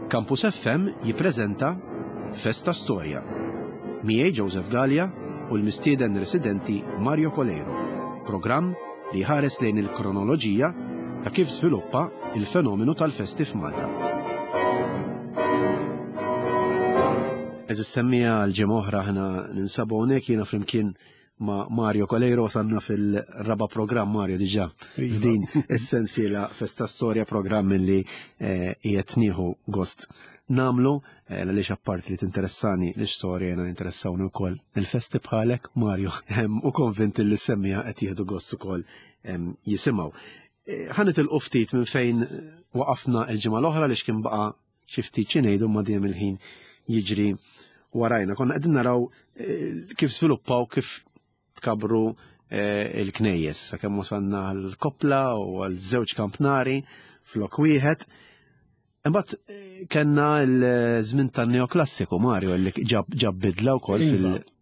Campus FM jippreżenta Festa Storja. Miegħi Joseph Gallia u l-mistieden residenti Mario Coleiro. Programm li jħares lejn il-kronoloġija ta' kif żviluppa il-fenomenu tal-festi f'Malta. Eżis semmija l-ġimgħa oħra aħna ninsabu hawnhekk jiena flimkien ma' Mario Coleiro wasalna fil-raba programm Mario diġà iva. f'din is-sensiela Festa Storja programm li eh, qiegħed nieħu gost namlu eh, għaliex apparti li tinteressani l-istorja jiena interessawni wkoll il-festi bħalek Mario u konvint li semmija qed jieħdu gost ukoll jisimgħu. Eh, ħa nitilqu ftit minn fejn waqafna il-ġimgħa l-oħra li kien baqa' xi ftit xi ngħidu ma dejjem il-ħin jiġri warajna. Konna qegħdin naraw eh, kif sviluppaw kif tkabru eh, il-knejjes, sakemm wasalna għall-koppla u għal żewġ kampnari flok wieħed. Imbagħad eh, kellna l-żmien tan-neoklassiku Mario li ġab bidla wkoll iva. fil-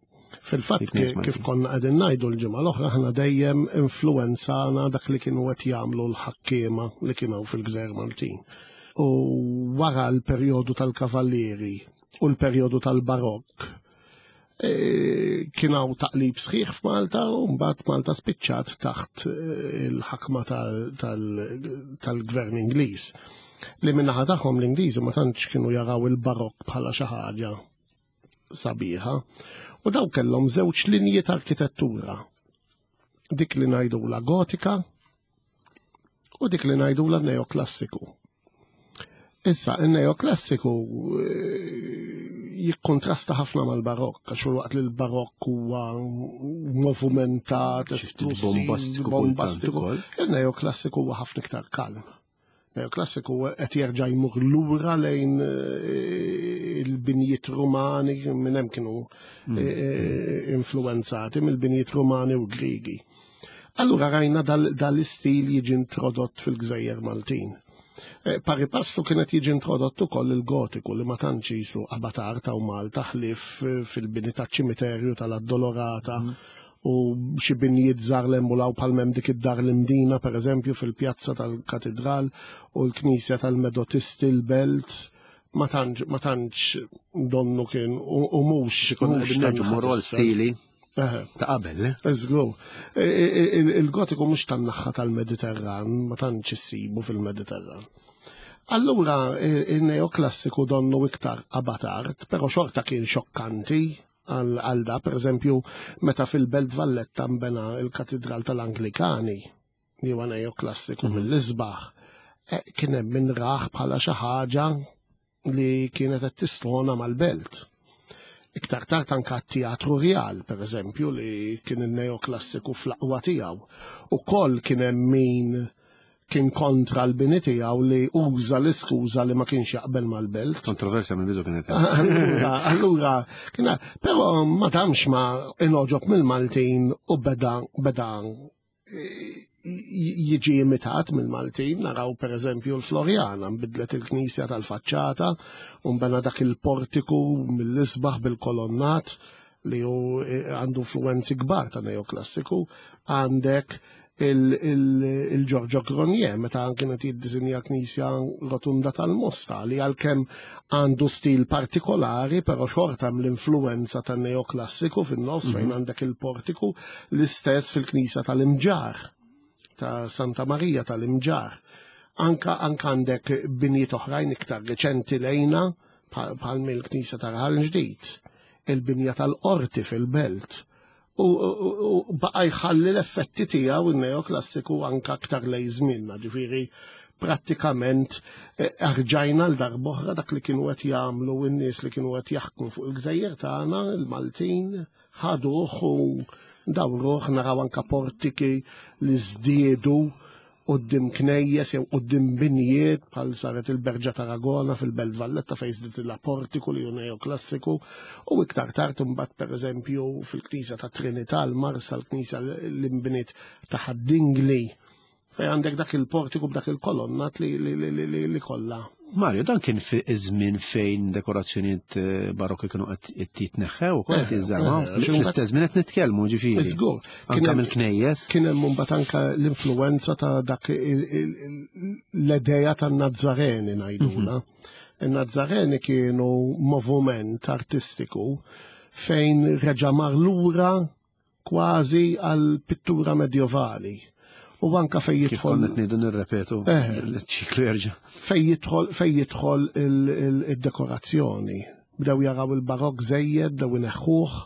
Fil-fatt kif konna qegħdin ngħidu l-ġimgħa l-oħra aħna dejjem influenzana dak li kienu qed jagħmlu l-ħakkiema li kienu fil-Gżejjer Maltin. U wara l-perjodu tal-Kavallieri u l-perjodu tal-Barokk e, kien hawn taqlib sħiħ f'Malta u mbagħad Malta spiċċat taħt e, il-ħakma tal-Gvern Ingliż. Li min-naħa tagħhom l-Ingliżi ma tantx kienu jaraw il-Barokk bħala xi ħaġa sabiħa. U daw kellhom żewġ linji ta' arkitettura. Dik li ngħidula gotika u dik li ngħidula neoklassiku. Issa, il-neoklassiku eh, jikkontrasta ħafna mal-barokk, għax waqt li l-barokk huwa movumentat, esplusiv, bombastiku, il-neoklassiku huwa ħafna iktar kalm. Neoklassiku qed jerġa' jmur lura lejn eh, il-binjiet Rumani minn hemm kienu mm. eh, eh, influenzati mill-binjiet Rumani u Grigi. Allura rajna dal-istil jiġi introdott fil-Gżejjer Maltin. Pari passu kienet jiġi introdott ukoll il-gotiku li ma tantx jisu abatar ta' Malta ħlief fil-bini taċ-ċimiterju tal-Addolorata. Mm u xi binjiet żgħar l-emmulaw bħal m'hemm dik id-dar l-Imdina pereżempju fil-pjazza tal-Katidral u l-Knisja tal-Medotisti l-Belt ma tantx ma tantx donnu kien u mhux mhux morru għal stili ta' qabel. Eh? Żgur. E, e, e, il-gotiku mhux tan-naħħa tal-Mediterran, ma tantx issibu fil-Mediterran. Allura il-neoklassiku donnu iktar abatart, però xorta kien xokkanti għal da, per eżempju, meta fil-Belt Valletta nbena il-Katidral tal-Anglikani, li huwa neoklassiku mhm. mill-isbaħ, eh, kien hemm min raħ bħala xi ħaġa li kienet qed tistona mal-belt. Iktar tard anka t-Teatru Rjal, per eżempju, li kien il-neoklassiku fl-aqwa tiegħu. Ukoll kien hemm min kien kontra l-bini tiegħu li uża l-iskuża li ma kienx jaqbel mal-belt. Kontroversja minn bidu kienet. Allura, allura, kien però ma tamx ma inoġob mill-Maltin u beda beda jiġi imitat mill-Maltin, naraw per eżempju l-Floriana, nbidlet il-knisja tal-faċċata, u nbena dak il-portiku mill-isbaħ bil-kolonnat li hu eh, għandu influenzi kbar ta' neoklassiku, għandek il-Giorgio Gronier meta kienet jiddisinja knisja rotunda tal-Mosta li għalkemm għandu stil partikolari però xorta hemm l-influenza tan-neoklassiku fin-nofs fejn mhm. għandek il-portiku l-istess fil-knisja tal-Imġar ta' Santa Marija tal-Imġar. Anka anka għandek binjiet oħrajn iktar reċenti lejna bħal mill-knisja ta' Raħal Ġdid, il-binja tal-qorti fil-belt u baqa jħalli l-effetti tiegħu in-neoklassiku anka aktar lej żmienna, ġifieri prattikament eh, arġajna l darboħra dak li kienu qed jagħmlu n-nies li kienu qed jaħkmu fuq il-gżejjer tagħna, il-Maltin, ħaduh u dawruh naraw anka portiki li żdiedu quddiem knejjes jew quddiem binjiet bħal saret il-Berġa Taragona fil-Belt Valletta fejn żdied portiku li hu neoklassiku u iktar tard imbagħad pereżempju fil-Knisja ta' Trinità l-Marsa l-Knisja li nbniet ta' Ħad-Dingli fejn għandek dak il-portiku b'dak il-kolonnat li, li, li, li, li kollha Mario, dan kien fi żmien fejn dekorazzjonijiet eh, barokki kienu qed jitneħħew ukoll qed eh, jiżżarmaw. Eh, Fl-istess żmien qed nitkellmu ġifieri. Żgur. Anke mill-knejjes. Kien hemm mbagħad anke l-influenza ta' dak l-edeja tan-Nazzareni ngħidula. Mhm. In-Nazzareni kienu movument artistiku fejn reġa' mar lura kważi għal pittura medjovali. U anka fejn jidħol. Kif qed ngħidu nirrepetu eh. ċiklu jerġa'. Fejn jidħol fejn jidħol il-dekorazzjoni. Bdew jaraw il-barok żejjed, bdew ineħħuh.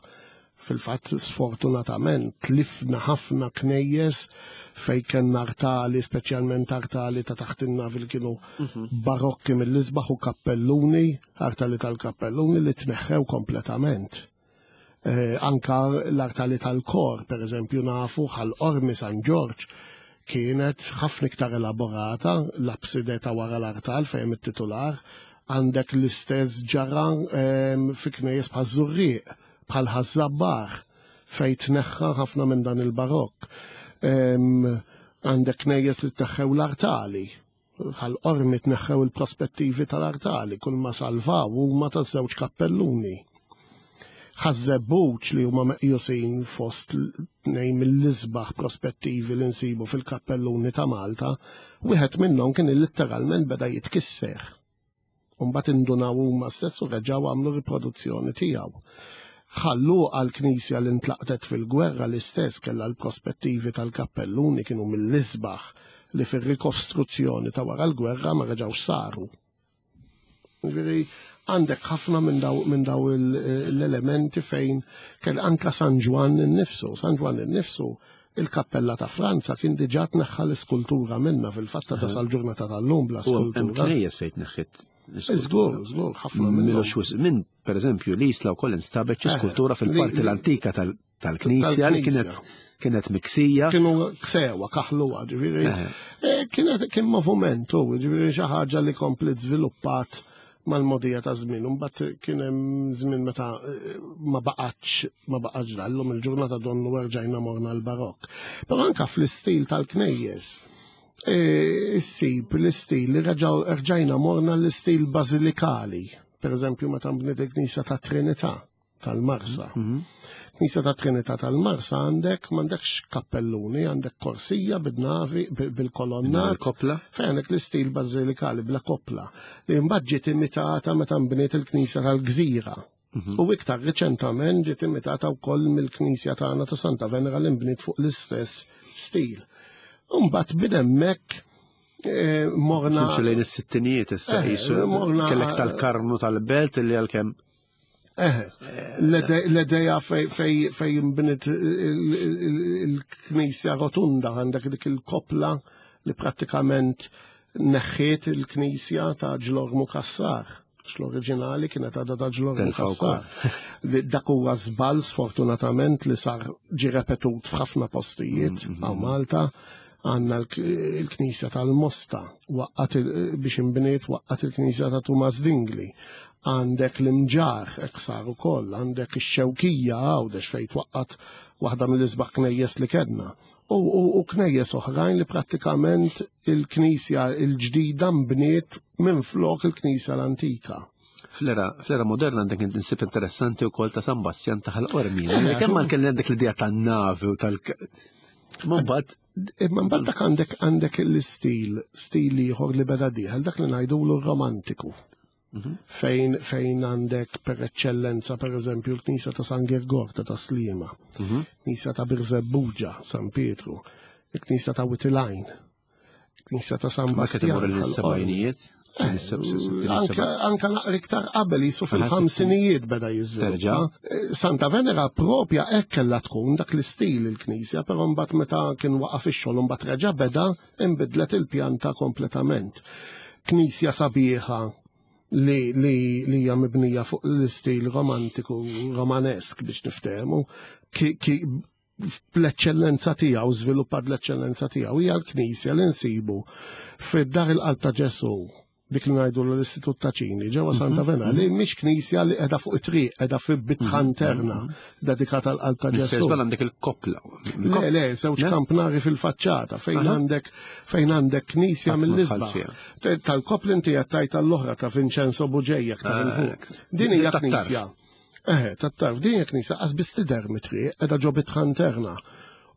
Fil-fatt sfortunatament tlifna ħafna knejjes fejn kellna artali, speċjalment artali ta' taħt in-navi li kienu mhm. barokki mill-isbaħ u kappelluni, artali tal-kappelluni li tneħħew kompletament. Eh, anka l-artali tal-kor, per eżempju, nafu ħal Ormi San Ġorġ kienet ħafna iktar elaborata, l-abside ta' wara l-artal fejn it-titular, għandek l-istess ġara ehm, fi knejjes bħal Żurrieq, bħal Ħaż-Żabbar, fejn tneħħa ħafna minn dan il-barokk. Ehm, għandek knejjes li tneħħew l-artali, Ħal Qormi tneħħew il-prospettivi tal-artali, kull ma salvaw huma taż-żewġ kappelluni. Ħaż-Żebbuġ li huma meqjusin fost tnejn mill-isbaħ prospettivi li nsibu fil-kappelluni ta' Malta, wieħed minnhom kien litteralment beda jitkisser. U mbagħad indunaw huma stess u reġgħu għamlu riproduzzjoni tiegħu. Ħal Luqa l-knisja li ntlaqtet fil-gwerra l-istess kellha l-prospettivi tal-kappelluni kienu mill-isbaħ li fir-rikostruzzjoni ta' wara l-gwerra ma reġgħux saru. Ġifieri għandek ħafna minn daw, min daw l-elementi fejn kell anka San Ġwann innifsu, San Ġwann innifsu il-kappella ta' Franza kien diġà tneħħa l-iskultura minna fil-fatt ta' sal-ġurnata tal-lum bla skultura. Knejjes fejn tneħħit. Żgur, żgur, ħafna minn. Minn, per eżempju, l-Isla wkoll instabet xi eh, skultura fil-parti l-antika tal-Knisja li kienet kienet miksija. Kienu ksewa, kaħluwa, ġifieri. Eh. Eh, kienet kien movumentu, ġifieri xi ħaġa li komplet żviluppat mal-mogħdija ta' żmien. Imbagħad kien hemm żmien meta eh, ma baqgħetx ma baqgħetx dallum il-ġurnata donnu erġajna morna l-barokk. Però anka fl-istil tal-knejjes eh, issib l-istil li rġajna morna l-istil bażilikali. Per eżempju, meta nbniet il-Knisja ta' Trinità tal-Marsa. Mhm. Knisja ta' Trinità tal-Marsa għandek m'għandekx kappelluni, għandek korsija bid-navi bil-kolonna. Kopla. Fejn għandek l-istil bażilikali bla kopla li mbagħad ġiet imitata meta nbniet il-Knisja tal-Gżira. Mhm. U iktar riċentament ġiet imitata wkoll mill-Knisja tagħna ta' Santa Venera li nbniet fuq l-istess stil. Mbagħad minn hemmhekk eh, morna. Lejn is-sittinijiet issa eh, morna kellek tal-Karmnu tal-Belt li għalkemm Eh, l-edeja fej imbnit il-knisja rotunda għandek dik il-kopla li prattikament neħħiet il-knisja ta' Ġlormu Kassar. L-oriġinali kienet għadha ta' Ġlormu Kassar. Dak huwa żball sfortunatament li sar ġi repetut f'ħafna postijiet mm, mm, għaw mm. Malta għanna l-knisja tal-Mosta waqqat biex imbniet waqqat il-knisja ta' Tumas Dingli għandek l-imġar eksar ukoll, għandek ix-xewkija għawdex fejn twaqqat waħda mill-isbaħ knejjes li kellna. U, u, u knejjes oħrajn li prattikament il-knisja il-ġdida mbniet minn flok il-knisja l-antika. Fl-era fl-era moderna għandek insib interessanti wkoll ta' San Bastjan ta' Ħal-Qormi. Eh, Kemm ma kelli għandek l-idea tan-navi u tal Ma mbagħad Imma mbagħad dak għandek għandek l-istil, stil ieħor li beda dieħel dak li ngħidulu romantiku. Mhm. Fejn fejn għandek per eċċellenza per eżempju l-Knisja ta' San Girgor ta' Taslima, mhm. Knisja ta' Birżebbuġa, San Pietru, il-Knisja ta' Witilajn, Knisja ta' San Bastian. L-sebajnijiet? Eh, anka naqra iktar qabel jisu fil-ħamsinijiet beda jiżviluppa. Eh, Santa Venera propja hekk kellha tkun dak l-istil il-knisja, però mbagħad meta kien waqaf ix-xogħol mbagħad reġa' beda inbidlet il-pjanta kompletament. Knisja sabiħa li li li hija mibnija fuq l-istil romantiku romanesk biex niftehmu, bl-eċċellenza tiegħu, żviluppat bl-eċċellenza tiegħu, hija l-Knisja li nsibu fid-dar il-qalb ta' Ġesù, dik li ngħidu l-Istitut ta' Ċini, ġewwa Santa mhm. Vena, li mhix knisja li qiegħda fuq it-triq, qiegħda fi bitħa mhm. interna mhm. dedikata għal qalb ta' Ġesù. għandek il-koppla. Le, le, żewġ kampnari fil-faċċata fejn għandek fejn għandek knisja mill-isbaħ. Tal-koppla inti qed tajt l-oħra ta' Vincenzo Buġejja aktar il fuq. Ah, Din hija knisja. Eħe, tat-tarf, din hija knisja qas biss tidher mit-triq, qiegħda ġo bitħa interna.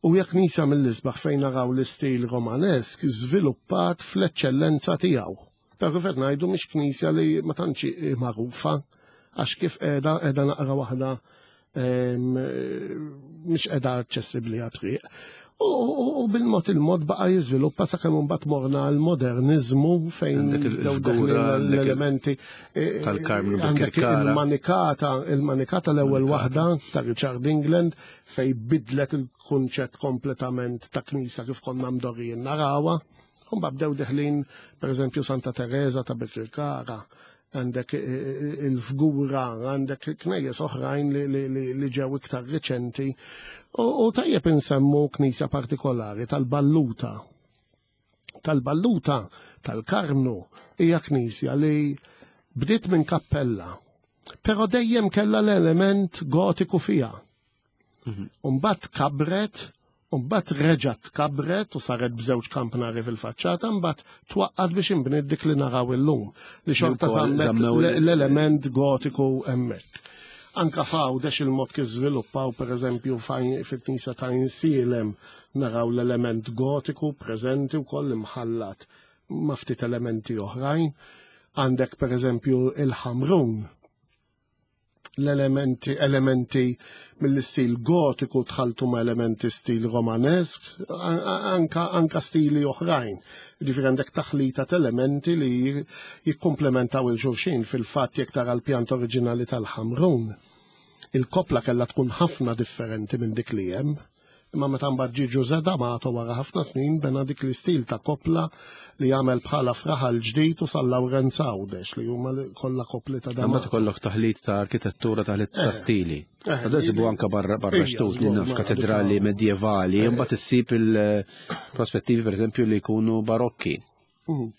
U hija knisja mill-isbaħ fejn naraw l-istil Romanesk żviluppat fl-eċċellenza tiegħu. Però kif qed ngħidu mhix knisja li ma tantx magħrufa għax kif qiegħda qiegħda naqra waħda mhix qiegħda aċċessibbli għat-triq. U bil-mod il-mod baqa' jiżviluppa sakemm imbagħad morna l-moderniżmu fejn l-elementi e, e, tal-Karmnu għandek il-manikata, il-manikata l-ewwel waħda ta' Richard England fej bidlet il-kunċett kompletament ta' knisa kif konna mdorrijin narawha. Mbagħad bdew deħlin pereżempju Santa Teresa ta' Birkirkara, għandek eh, eh, il-fgura, għandek knejjes oħrajn li ġew iktar riċenti. U tajjeb insemmu knisja partikolari tal-Balluta. Tal-Balluta tal-Karmnu hija knisja li bdiet minn kappella, però dejjem kellha l-element gotiku fiha. Mhm. Umbat kabret, umbat reġat kabret u saret b'żewġ kampnari fil-faċċata, mbagħad twaqqat biex inbniet dik li naraw illum li xorta żammet l-element gotiku hemmhekk. Anka f'Għawdex il-mod kif żviluppaw pereżempju fil-knisja ta' Insielem naraw l-element gotiku preżenti wkoll imħallat ma' ftit elementi oħrajn. Għandek pereżempju il-Ħamrun l-elementi elementi mill-istil gotiku tħaltu ma' elementi stil romanesk, anka, anka stili oħrajn. Ġifieri għandek taħlita ta' elementi li jikkumplementaw il-xulxin fil-fatt jekk tara l-pjant oriġinali tal-Ħamrun. Il-kopla kellha tkun ħafna differenti minn dik li hemm. Imma meta mbagħad ġie Ġużè D'Amato wara ħafna snin bena dik l-istil ta' koppla li għamel bħala f'Raħal Ġdid u San Lawrenz Għawdex li huma kollha koppli ta' D'Amato. Mbagħad ikollok taħlit ta' arkitettura, taħlit ta' eh. stili. Eh, Għadha sibu anka barra barra xtut li naf katedrali eh. medjevali, imbagħad issib il-prospettivi pereżempju li jkunu barokki. Mhm.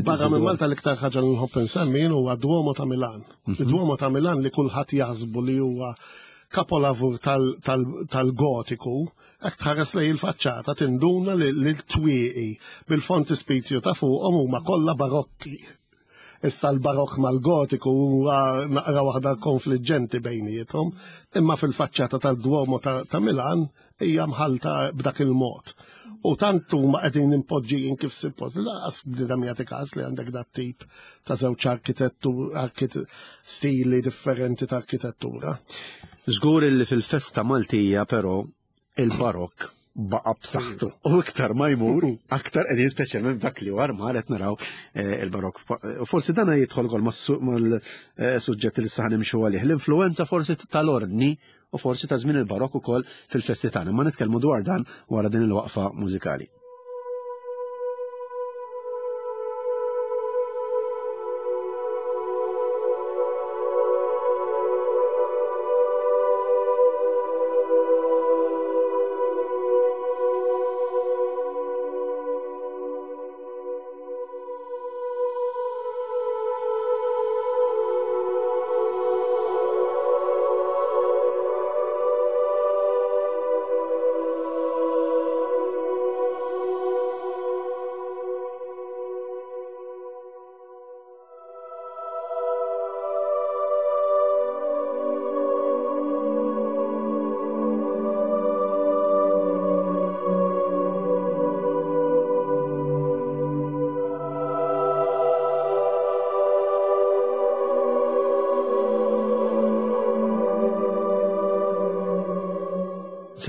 Barra minn Malta l-iktar ħaġa li nħobb insemmi huwa Duomo ta' Milan. Mhm. Duomo ta' Milan li kulħadd jaħsbu li huwa kapolavur tal-gotiku, hekk tħares lej il-faċċata tinduna li l-twieqi bil-fontispizju ta' fuqhom huma kollha barokki. Issa l-barokk mal-gotiku huwa naqra waħda konfliġġenti bejniethom, imma fil-faċċata tad-Duomo ta' Milan hija mħalta b'dak il-mod. U tant huma qegħdin impoġġijin kif suppost, laqas bniedem jagħti każ li għandek dat tip ta' żewġ arkitettu stili differenti ta' arkitettura. Żgur li fil-festa Maltija però il-barokk baqa b'saħħtu. U iktar ma jmur, aktar qegħdin speċjalment dak li war mar qed naraw eh, il-barokk. U forsi dana jidħol ukoll mal-suġġett li saħan nimxu għalih. L-influenza forsi tal-ordni u forsi ta' żmien il-barokk ukoll fil-festi tagħna. Ma nitkellmu dwar dan wara din il-waqfa mużikali.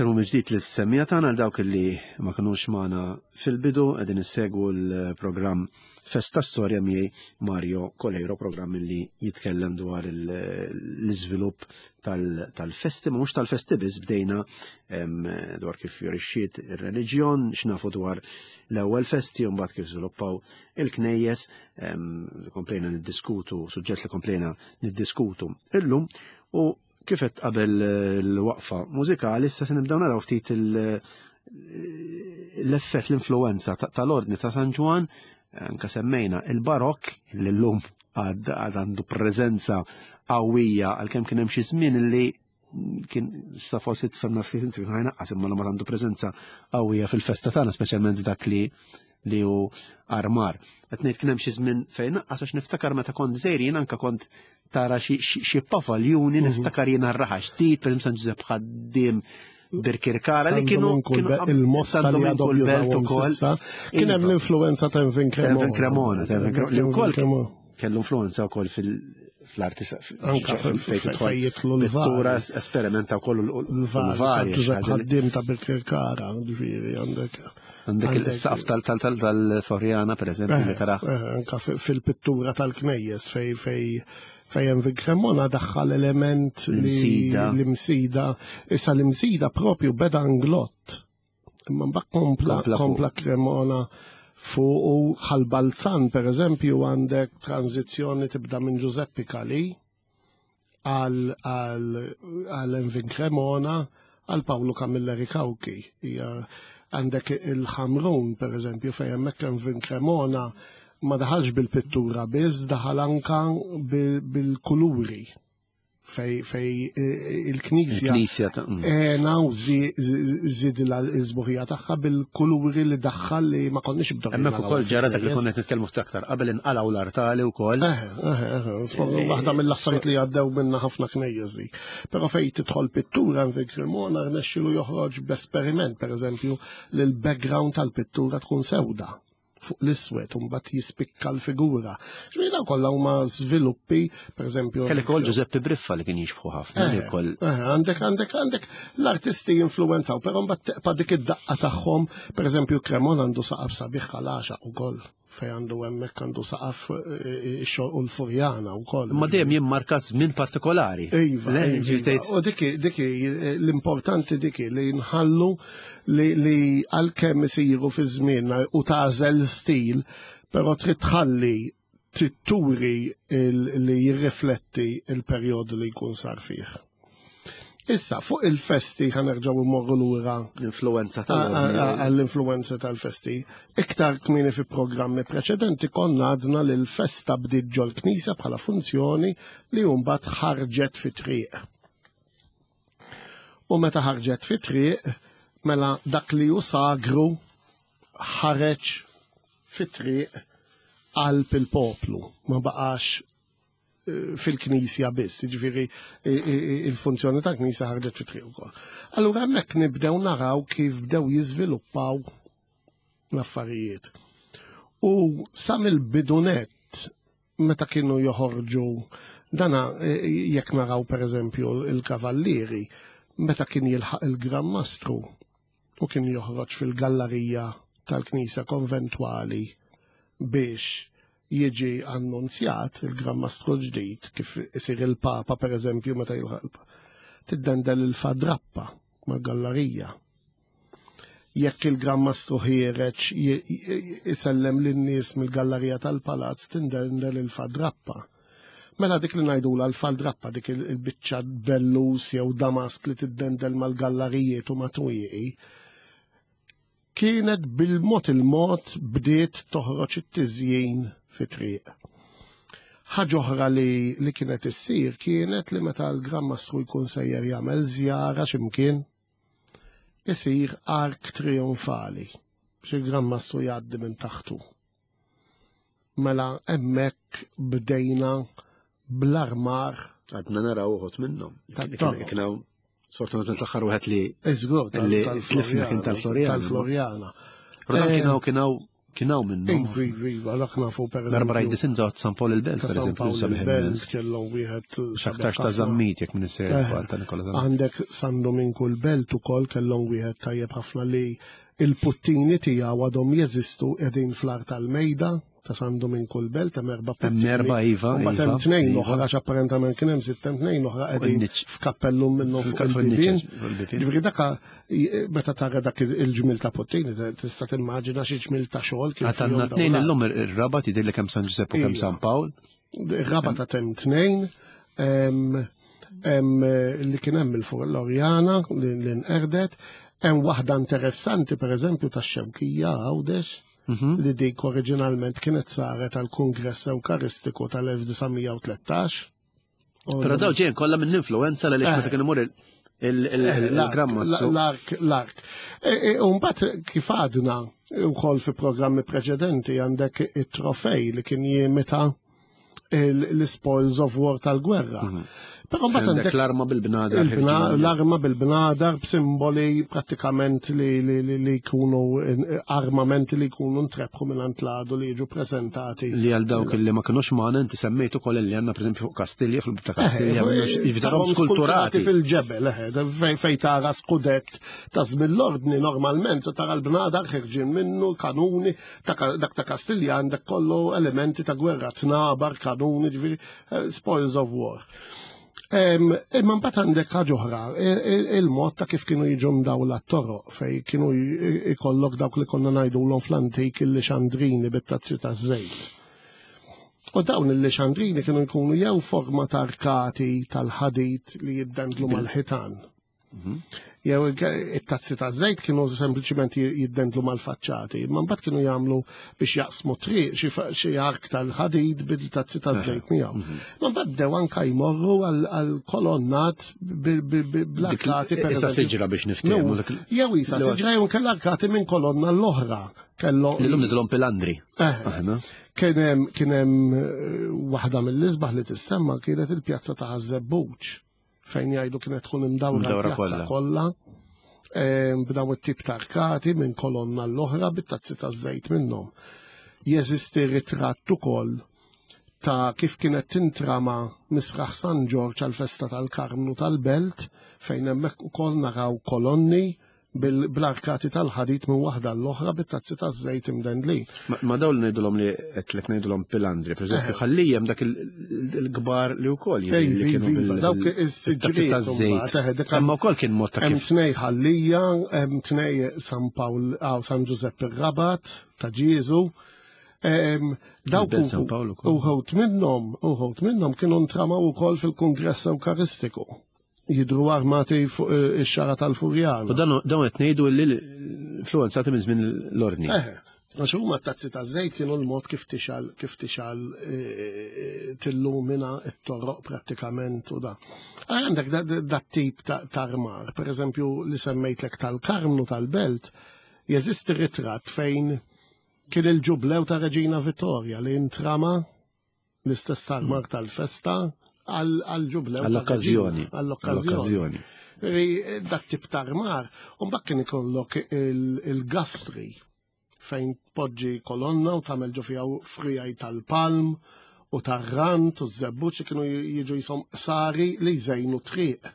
Selmu mill-ġdid lis-semmija tagħna għal dawk li ma kinux magħna fil-bidu qegħdin issegwu l-programm Festa Storja miegħi Mario Coleiro, programm li jitkellem dwar l-iżvilupp tal-festi, ma mhux tal-festi biss bdejna dwar kif jorixxiet ir-reliġjon, x'nafu dwar l-ewwel festi u mbagħad kif żviluppaw il-knejjes, komplejna niddiskutu, suġġett li komplejna niddiskutu illum u Kif qed qabel l-waqfa mużikali, issa se nibdew naraw ftit l-effett l-influenza tal-ordni ta' San Ġwan, anka semmejna il-barokk li llum għad għandu preżenza qawwija għalkemm kien hemm xi żmien li kien sa forsi tfemna ftit inti kien ħajnaqqas imma ma għandu preżenza qawwija fil-festa tagħna speċjalment f'dak li li hu armar. Qed ngħid kien hemm xi żmien fejn naqqas għax niftakar meta kont żgħir jien anke kont tara xi pavaljuni mhm. niftakar jien raħa ġdid, per San Ġużepp ħaddiem Birkirkara li kienu il-mosta li għadhom jużawhom s'issa. Kien hemm l-influenza ta' Envin Cremona. Envin Cremona, li wkoll kellu influenza wkoll fil-arti anka fejn jidħlu l-pittura esperimenta wkoll l-vari. Giuseppe Ħaddim ta' Birkirkara, ġifieri għandek. Għandek il-saqaf tal-Floriana, per eżempju, li tara. Anka fil-pittura tal-knejjes fej fej fejn fi Cremona daħħal element l-imsida. Issa l-imsida propju beda Inglott. Imma mbagħad kompla, kompla Cremona fuq u ħal-Balzan, per eżempju, għandek tranzizzjoni tibda minn Giuseppe Cali għal Envin Cremona għal Paolo Camilleri Cauchi. Għandek il-Ħamrun, per eżempju, fejn hemmhekk Envin Cremona ma daħalx bil-pittura biss, daħal anka bil-kuluri fej il-knisja ena u żid l-żbuħija tagħha bil-kuluri li daħħal li ma konniex bdew. Hemmhekk ukoll ġara dak li konna qed nitkellmu aktar qabel inqalgħu l-artali wkoll. Waħda mill-affarijiet li għaddew minna ħafna knejjes dik. Però fejn tidħol pittura fi Cremona rnexxielu joħroġ b'esperiment, pereżempju, li l-background tal-pittura tkun sewda fuq l-iswed u mbagħad jispikka l-figura. Ġifieri dawn kollha huma żviluppi, pereżempju. Kellek ukoll Giuseppe Briffa li kien jixbħu ħafna li wkoll. Għandek għandek għandek l-artisti jinfluwenzaw, però mbagħad teqpa' dik id-daqqa tagħhom, pereżempju Cremona għandu saqaf sabiħ għal għaxaq ukoll fej għandu hemmhekk għandu saqaf ix-xogħol u l-Furjana wkoll. Imma dejjem jimmarka żmien partikolari. Iva, iva. U diki diki l-importanti diki li nħallu li għalkemm isiru fi żmienna u tagħżel stil, però trid tħalli trid turi li jirrifletti il-perjodu li jkun sar fih. Issa, fuq il-festi ħanerġgħu immorru lura l-influenza għall-influenza tal-festi. Iktar kmieni fi programmi preċedenti konna għadna li l-festa bdiet ġol-knisja bħala funzjoni li mbagħad ħarġet fi triq. U meta ħarġet fi triq, mela dak li hu sagru ħareġ fi triq qalb il-poplu, ma baqax eh, fil-knisja biss, jiġifieri eh, eh, il-funzjoni tal-knisja ħarġet fi triq ukoll. Allura hemmhekk nibdew naraw kif bdew jiżviluppaw l-affarijiet. U sa mill-bidunet meta kienu joħorġu dana e, jekk naraw pereżempju il-kavallieri meta kien jilħaq il-Gran Mastru u kien joħroġ fil-gallarija tal-Knisja Konventwali biex jiġi annunzjat il-Gran Mastru ġdid kif isir il-Papa pereżempju meta jilħaq il-Papa. Tiddendel il-fadrappa mal-gallarija Jekk il-Gran Mastru ħiereġ isellem lin-nies mill-gallarija tal-palazz tindendel il-fadrappa. Mela dik li ngħidulha l-faldrappa dik il-biċċa bellus jew damask li tiddendel mal-gallarijiet u mat-twieqi, kienet bil-mod il-mod bdiet toħroġ it-tiżjin fi triq. Ħaġa oħra li, li kienet issir kienet li meta l-Gran Mastru jkun sejjer jagħmel żjara x'imkien, isir ark trionfali biex il-Gran Mastru jgħaddi minn taħtu. Mela hemmhekk bdejna bl-armar. Għadna naraw uħut minnhom. Kien hawn sfortunatament l-aħħar wieħed li Iżgur li tlifna kien tal-Floriana. Tal-Floriana. Però kien hawn kien hawn Kien hawn minnhom. Iva, iva, iva, dak nafu per eżempju. Darba rajt disin ta' San Paul il-Belt, per eżempju, sabiħ il-Belt kellhom wieħed. X'aktarx ta' Zammit jekk minn isser eh, ta' Nikola Zammit. Għandek San Dominku l-Belt ukoll kellhom wieħed tajjeb ħafna li il-puttini tiegħu għadhom jeżistu qegħdin fl-art tal-mejda ta' San Dominku l-Belt hemm erba' puttini. Hemm erba' iva. Imbagħad hemm tnejn iva. oħra għax apparentament kien hemm sitt hemm tnejn oħra qegħdin f'kappellum minnhom fuq il-bibien. Ġifieri daka meta tara dak il-ġmil ta' puttini tista' timmaġina xi ġmil ta' xogħol kien. Għatanna tnejn illum ir-Rabat jidhirli kemm San Ġużepp u kemm San Pawl. Ir-Rabat ta' hemm tnejn li kien hemm il-fuq l-Orjana li nqerdet, hemm waħda interessanti pereżempju tax-Xewkija Għawdex mhm. li dik oriġinalment kienet saret għal Kongress Ewkaristiku tal-1913. Però daw ġejn kollha minn influenza li meta eh. kien imur il-gramma. Eh, l-ark, l-ark. E, e, Umbat kif għadna u fi programmi preċedenti għandek it-trofej li kien jimita l-spoils of war tal-gwerra. Mhm. Però mbagħad għandek l-arma bil-bnadar. L-arma bil-bnadar b'simboli prattikament li jkunu armamenti li jkunu ntrebħu minn l-għadu li jiġu preżentati. Li għal dawk li ma kinux magħna inti semmejt ukoll li għandna pereżempju fuq Kastilja fil ta' Kastilja jiġifieri skulturati fil-ġebel, fejn tara skudett ta' żmien l-ordni normalment se tara l-bnadar ħerġin minnu, kanuni, dak ta' Kastilja għandek kollu elementi ta' gwerra, tnabar, kanuni, ġifieri eh, spoils of war. Imma mbagħad għandek ħaġa oħra, il-mod ta' kif kienu jiġu mdawla t-toroq fej kienu ikollok dawk li konna ngħidulhom fl-antik il-lixandrini bit-tazzi taż-żejt. U dawn il-lixandrini kienu jkunu jew forma ta' arkati tal-ħadid li jiddendlu mal-ħitan. Mhm. Jew it-tazzi ta' żejt kienu sempliċiment jiddendlu mal-faċċati, imma mbagħad kienu jagħmlu biex jaqsmu triq xi ark tal-ħadid bil-tazzi ta' żejt miegħu. Mhm. Ma mbagħad bdew anke jmorru għal kolonnat bl-arkati. Issa siġra biex niftehmu. Jew isa siġra jew kellha arkati minn kolonna l-oħra. Kellu. Illum nidlhom pilandri. Eh. Kien hemm eh, waħda mill-isbaħ li tissemma kienet il-pjazza ta' Ħaż-Żebbuġ. fejn jgħidu kienet tkun imdawra l-pjazza kollha b'daw it-tip ta' arkati minn kolonna l-oħra bit-tazzi ta' żejt minnhom. Jeżisti ritratt ukoll ta' kif kienet tintrama misraħ San Ġorġ għal-festa tal-Karmnu tal-Belt fejn hemmhekk ukoll naraw kolonni bl-arkati tal-ħadid minn waħda l-oħra bit-tazzi taż-żejt imdendlin. Ma dawn li ngħidulhom li qedlek ngħidulhom pilandri, pereżempju, eh. ħallijem dak il-kbar li wkoll li kienu dawk is-siġriet taż-żejt. Imma wkoll kien mod ta' kif. Hemm tnej ħallija, hemm tnej San Pawl San Ġużepp ir-Rabat ta' Ġieżu. Dawk uħut minnhom, uħut minnhom kienu ntramaw ukoll fil-Kungress Ewkaristiku. jidru armati fuq eh, ix-xara tal-Furjana. U dan dawn qed ngħidu li l-influenzati minn żmien l-ordni. Eh, għax huma t-tazzi ta' żejt kienu l-mod kif tixal kif tixal eh, tillumina t-toroq prattikament u da. Għandek dat tip ta' armar, per eżempju li semmejtlek tal-Karmnu tal-Belt, jeżisti ritratt fejn kien il-ġublew ta' Reġina Vittoria li intrama l-istess armar tal-festa għal-ġublew. Għall-okkażjoni. Għall-okkażjoni. Dak tip ta' armar, u mbagħad kien ikollok il-gastri fejn tpoġġi kolonna u tagħmel ġo fiha frijaj tal-palm u tar-rant u ż-żebbuġ kienu jiġu jisom sari li jżejnu triq.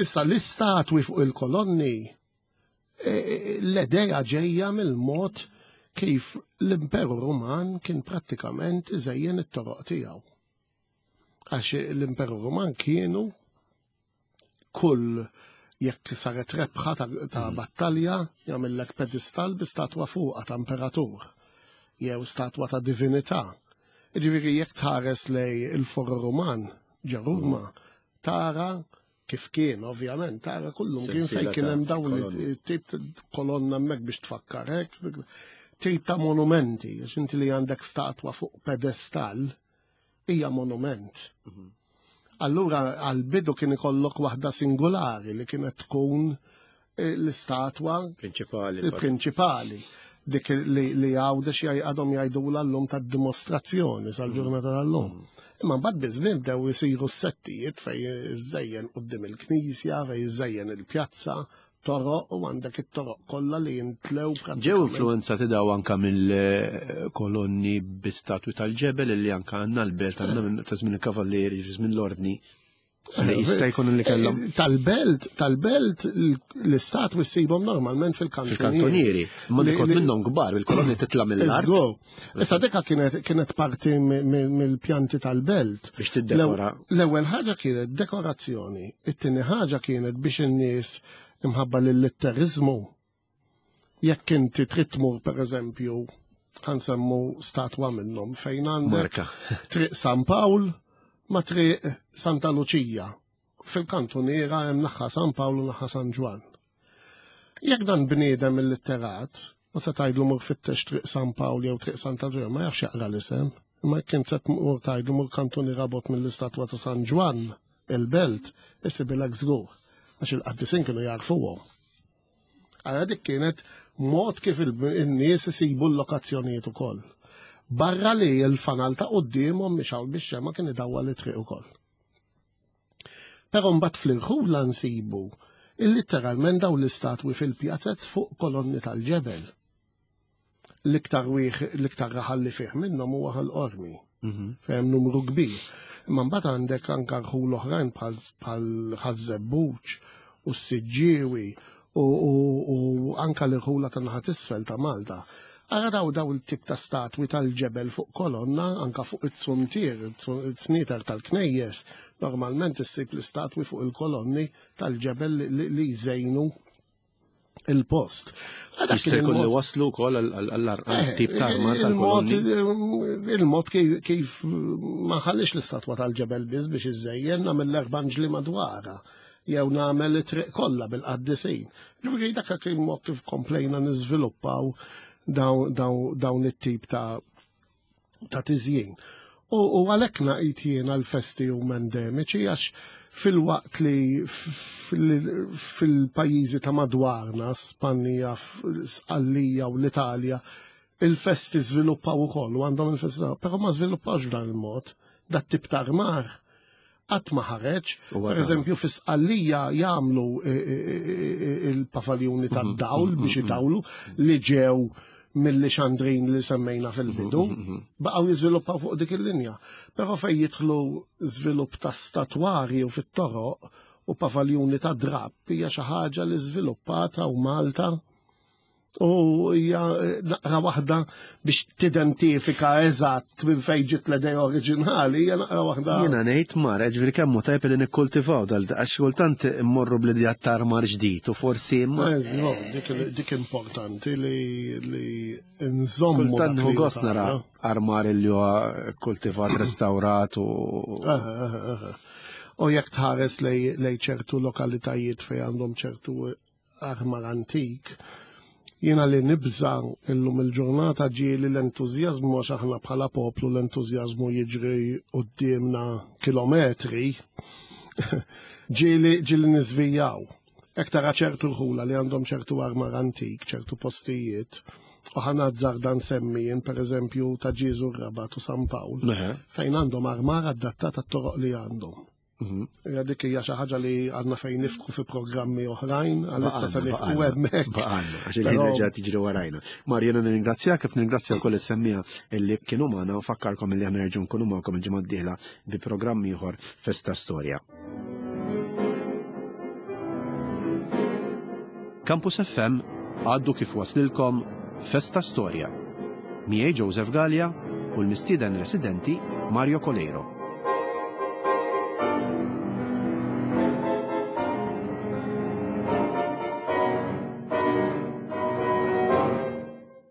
Issa l-istatwi fuq il-kolonni E, l-edeja ġejja mill-mod kif l-Imperu Ruman kien prattikament iżejjen it-toroq tiegħu. Għax l-Imperu Ruman kienu kull jekk saret rebħa ta', ta mm. battalja jagħmellek pedestal bi statwa fuqha ta' imperatur jew statwa ta' divinità. Ġifieri jekk tħares lej il-Foro Ruman ġo Ruma tara Kif kien, ovvjament, tara kullum kien fejn kien hemm dawn tip kolonna hemmhekk biex tfakkar hekk, tip ta' monumenti, għax inti li għandek statwa fuq pedestal hija monument. Mhm. Allura għal-bidu kien ikollok waħda singolari li kienet tkun eh, l-istatwa prinċipali. Il-prinċipali dik li, li għawdex għadhom jgħidula l-lum ta' dimostrazzjoni sal-ġurnata tal-lum. Mm. Imma mbagħad biż-żmien bdew isiru s-settijiet fej iżejjen quddiem il-knisja, fej iżejjen il-pjazza, toroq u għandek it-toroq kollha li jintlew Ġew influenzati daw anka mill-kolonni bi statwi tal-ġebel li anka għandna l-belt għandna ta' żmien il-kavallieri, żmien l-ordni. Li jista' jkun li kellhom. Eh, tal-belt, tal-belt l-istat issibhom normalment fil-kantonieri. Fil-kantonieri. Ma dikot minnhom kbar, il-kolonni titla' mill-art. Issa dika kienet kienet parti mill-pjanti tal-belt. Biex tiddekora. L-ewwel ħaġa kienet dekorazzjoni, it-tieni ħaġa kienet biex in-nies imħabba lill-litterizmu Jekk inti trid tmur pereżempju ħansemmu statwa minnhom fejn għandek Triq San Pawl ma' Triq Santa Luċija. Fil-kantuniera hemm naħa San Pawl u naħa San Ġwann. Jekk dan bniedem illitterat, u se tgħidlu mur fittex Triq San Pawl jew Triq Santa Luċija, ma jafx jaqra l-isem. Imma jekk int se tmur tgħidlu mur kantuniera bot mill-istatwa ta' San Ġwann, il-belt, isibilek żgur. Għax il-qaddisin kienu jarfuhom. Għara dik kienet mod kif il-nies isibu l-lokazzjonijiet ukoll. Barra li l-fanal ta' quddiemhom mixgħul bix-xema kien idawwal it-triq ukoll. Però mbagħad fl-irħula nsibu il-litteralment dawn l-istatwi fil-pjazez fuq kolonni tal-ġebel. L-iktar wieħ, l-iktar raħal li fih minnhom huwa Ħal Qormi. Fejn numru kbir. Imma mbagħad għandek anke rħul oħrajn bħal Ħaż-Żebbuġ u s-Siġġiewi u anke l-irħula ta' naħa t'isfel ta' Malta. Ara daw il-tip ta' statwi tal-ġebel fuq kolonna, anka fuq it-suntier, it-snieter tal-knejjes, normalment issib l-istatwi fuq il-kolonni tal-ġebel li jżejnu il-post. Jista' jkun li waslu wkoll għall-tip ta' armar tal-kolonni. Il-mod kif ma ħallix l-istatwa tal-ġebel biss biex iżejjen nagħmel l-erba' madwarha jew nagħmel it-triq kollha bil-qaddisin. Ġifieri dak kien mod kif komplejna niżviluppaw dawn it-tip ta' tiżjin. U għalhekk ngħid jiena l-festi huma endemiċi għax fil-waqt li fil-pajjiżi ta' madwarna, Spanja, Sqallija u l-Italja, il-festi żviluppaw ukoll u għandhom il-festi, però ma żviluppawx b'dan il-mod. Dat tip ta' armar qatt ma ħareġ. Per eżempju, fi Sqallija jagħmlu il-pavaljuni tad-dawl biex idawlu li ġew mill-Lixandrin li semmejna fil-bidu, baqgħu jiżviluppaw fuq dik il-linja. Però fejn jidħlu żvilupp ta' statwarji u fit-toroq u pavaljuni ta' drapp hija xi ħaġa li żviluppata u Malta u hija naqra waħda biex tidentifika eżatt minn fejn ġiet l-idea oriġinali, hija naqra waħda. Jiena ngħid mara, ġifieri kemm hu tajjeb li nikkultivaw dal għax kultant immorru bl-idea ta' armar ġdid u forsi imma. Dik importanti li nżommu. Kultant nieħu gost nara armar li huwa kultivat, restawrat u. U jekk tħares lej ċertu lokalitajiet fejn għandhom ċertu armar antik, jiena li nibża illum il-ġurnata ġieli l-entużjażmu għax aħna bħala poplu l-entużjażmu jiġri quddiemna kilometri, ġieli ġieli niżvijaw. Hekk tara ċertu rħula li għandhom ċertu armar antik, ċertu postijiet, u ħa nazzarda nsemmi jien pereżempju ta' Ġieżu r-Rabat u San Pawl, fejn għandhom armar adattat għat-toroq li għandhom. Mhm. Ja dik hija xi ħaġa li għandna fejn nifku fi programmi oħrajn, għalissa se nifku hemmhekk. Baqgħanna, għax il-ħin reġa' tiġri warajna. Marjana nirringrazzjak kif nirringrazzja wkoll is-semmija li kienu magħna u fakkarkom li aħna nerġgħu nkunu magħkom il-ġimgħa d-dieħla bi programm ieħor Festa Storja. Campus FM għaddu kif waslilkom Festa Storja. Miegħi Joseph Gallia u l-mistieden residenti Mario Coleiro.